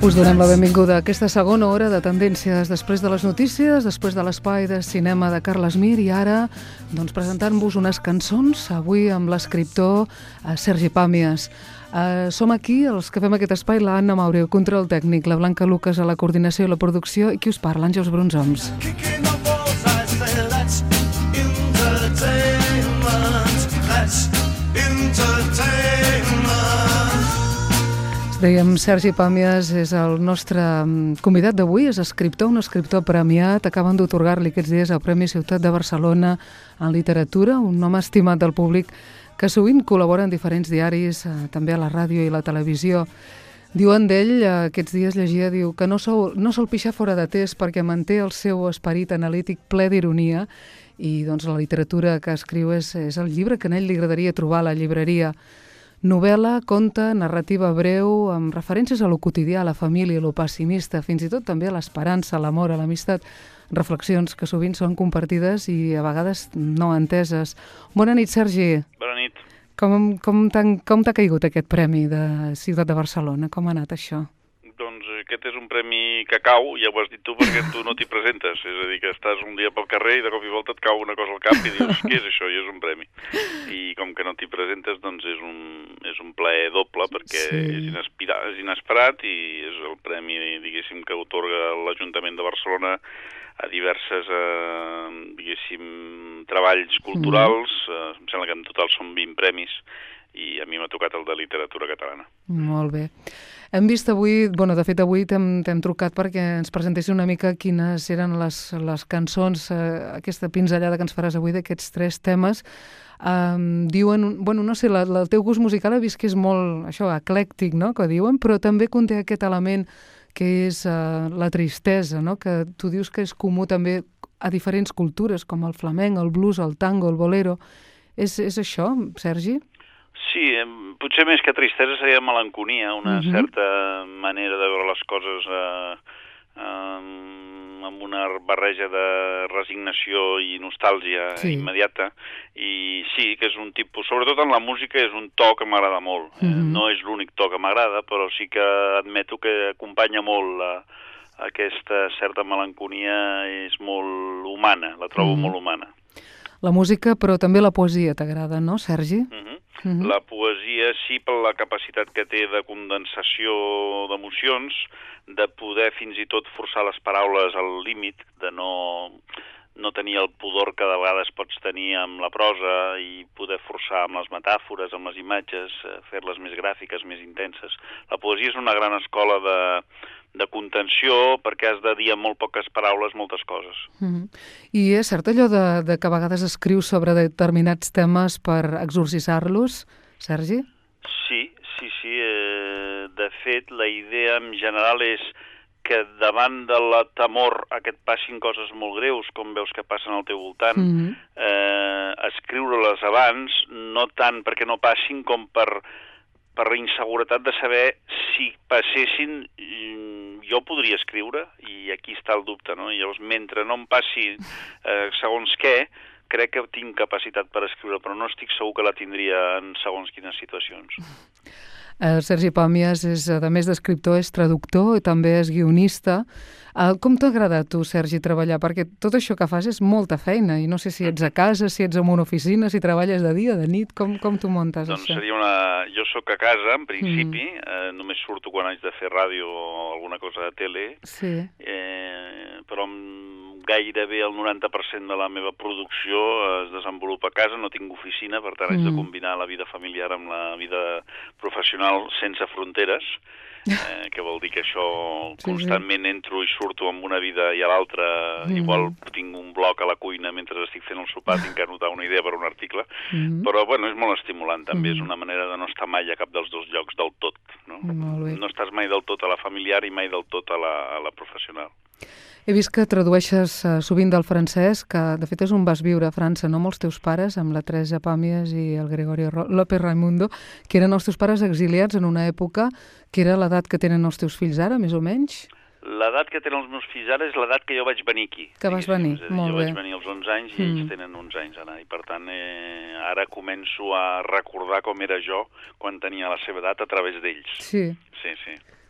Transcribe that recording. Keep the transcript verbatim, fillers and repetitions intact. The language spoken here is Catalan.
Us donem la benvinguda a aquesta segona hora de Tendències, després de les notícies, després de l'espai de cinema de Carles Mir, i ara doncs, presentant-vos unes cançons, avui amb l'escriptor Sergi Pàmies. Uh, som aquí, els que fem aquest espai, la Anna Maureu, control tècnic, la Blanca Lucas a la coordinació i la producció, i qui us parla, Àngels Brunzoms. Dèiem, Sergi Pàmies és el nostre convidat d'avui, és escriptor, un escriptor premiat, acaben d'atorgar-li aquests dies el Premi Ciutat de Barcelona en literatura, un home estimat del públic que sovint col·labora en diferents diaris, eh, també a la ràdio i la televisió. Diuen d'ell, eh, aquests dies llegia, diu que no sol, no sol pixar fora de test perquè manté el seu esperit analític ple d'ironia, i doncs la literatura que escriu és, és el llibre que a ell li agradaria trobar a la llibreria. Novel·la, conte, narrativa breu, amb referències a lo quotidià, a la família, a lo pessimista, fins i tot també a l'esperança, a l'amor, a l'amistat, reflexions que sovint són compartides i a vegades no enteses. Bona nit, Sergi. Bona nit. Com, com t'ha caigut aquest premi de Ciutat de Barcelona? Com ha anat això? Doncs aquest és un premi que cau, ja ho has dit tu, perquè tu no t'hi presentes. És a dir, que estàs un dia pel carrer i de cop i volta et cau una cosa al cap i dius, què és això? I és un premi. I com que no t'hi presentes, doncs és un, és un plaer doble, perquè sí. és, inespira, és inesperat i és el premi, diguéssim, que otorga l'Ajuntament de Barcelona a diverses, eh, diguéssim, treballs culturals. Mm. Eh, em sembla que en total són vint premis i a mi m'ha tocat el de literatura catalana. Molt bé. Hem vist avui, bueno, de fet avui t'hem trucat perquè ens presentessis una mica quines eren les, les cançons, eh, aquesta pinzellada que ens faràs avui d'aquests tres temes. Um, diuen, bueno, no sé, la, la, el teu gust musical he vist que és molt, això, eclèctic, no?, que diuen, però també conté aquest element que és uh, la tristesa, no?, que tu dius que és comú també a diferents cultures, com el flamenc, el blues, el tango, el bolero. És, és això, Sergi? Sí, potser més que tristesa seria melanconia, una uh-huh. certa manera de veure les coses eh, eh, amb una barreja de resignació i nostàlgia sí. immediata. I sí, que és un tipus, sobretot en la música, és un to que m'agrada molt. Uh-huh. eh, no és l'únic to que m'agrada, però sí que admeto que acompanya molt la, aquesta certa melanconia, és molt humana, la trobo uh-huh. molt humana. La música, però també la poesia t'agrada, no, Sergi? Uh-huh. Uh-huh. La poesia sí, per la capacitat que té de condensació d'emocions, de poder fins i tot forçar les paraules al límit, de no, no tenir el pudor que de vegades pots tenir amb la prosa i poder forçar amb les metàfores, amb les imatges, fer-les més gràfiques, més intenses. La poesia és una gran escola de, de contenció perquè has de dir amb molt poques paraules moltes coses. Mm-hmm. I és cert allò de, de que a vegades escrius sobre determinats temes per exorcitzar-los, Sergi? Sí, sí, sí. Eh, de fet, la idea en general és que davant de la temor a que et passin coses molt greus, com veus que passen al teu voltant, mm-hmm. eh, escriure-les abans, no tant perquè no passin com per, per la inseguretat de saber si passessin, jo podria escriure, i aquí està el dubte, no? I llavors, mentre no em passi eh, segons què, crec que tinc capacitat per escriure, però no estic segur que la tindria en segons quines situacions. El Sergi Pàmies, és, a més d'escriptor, és traductor i també és guionista. Com t'agrada a tu, Sergi, treballar? Perquè tot això que fas és molta feina i no sé si ets a casa, si ets en una oficina, si treballes de dia, de nit, com, com t'ho muntes, doncs això? Seria una... Jo sóc a casa, en principi, mm. eh, només surto quan haig de fer ràdio o alguna cosa de tele, sí. eh, però gairebé el noranta per cent de la meva producció es desenvolupa a casa, no tinc oficina, per tant haig mm. de combinar la vida familiar amb la vida professional sense fronteres, eh, que vol dir que això sí, constantment sí. entro i surto amb una vida i a l'altra, mm. igual tinc un bloc a la cuina mentre estic fent el sopar, tinc que anotar una idea per un article, mm. però bueno, és molt estimulant també, mm. és una manera de no estar mai a cap dels dos llocs del tot, no? No estàs mai del tot a la familiar i mai del tot a la, a la professional. He vist que tradueixes uh, sovint del francès, que de fet és on vas viure a França, no? Amb els teus pares, amb la Teresa Pàmies i el Gregorio López Raimundo, que eren els teus pares exiliats en una època que era l'edat que tenen els teus fills ara, més o menys? L'edat que tenen els meus fills ara és l'edat que jo vaig venir aquí. Que vas venir, dir, molt jo bé. Jo vaig venir als onze anys i mm. ells tenen onze anys ara, i per tant eh, ara començo a recordar com era jo quan tenia la seva edat a través d'ells. Sí. Sí, sí.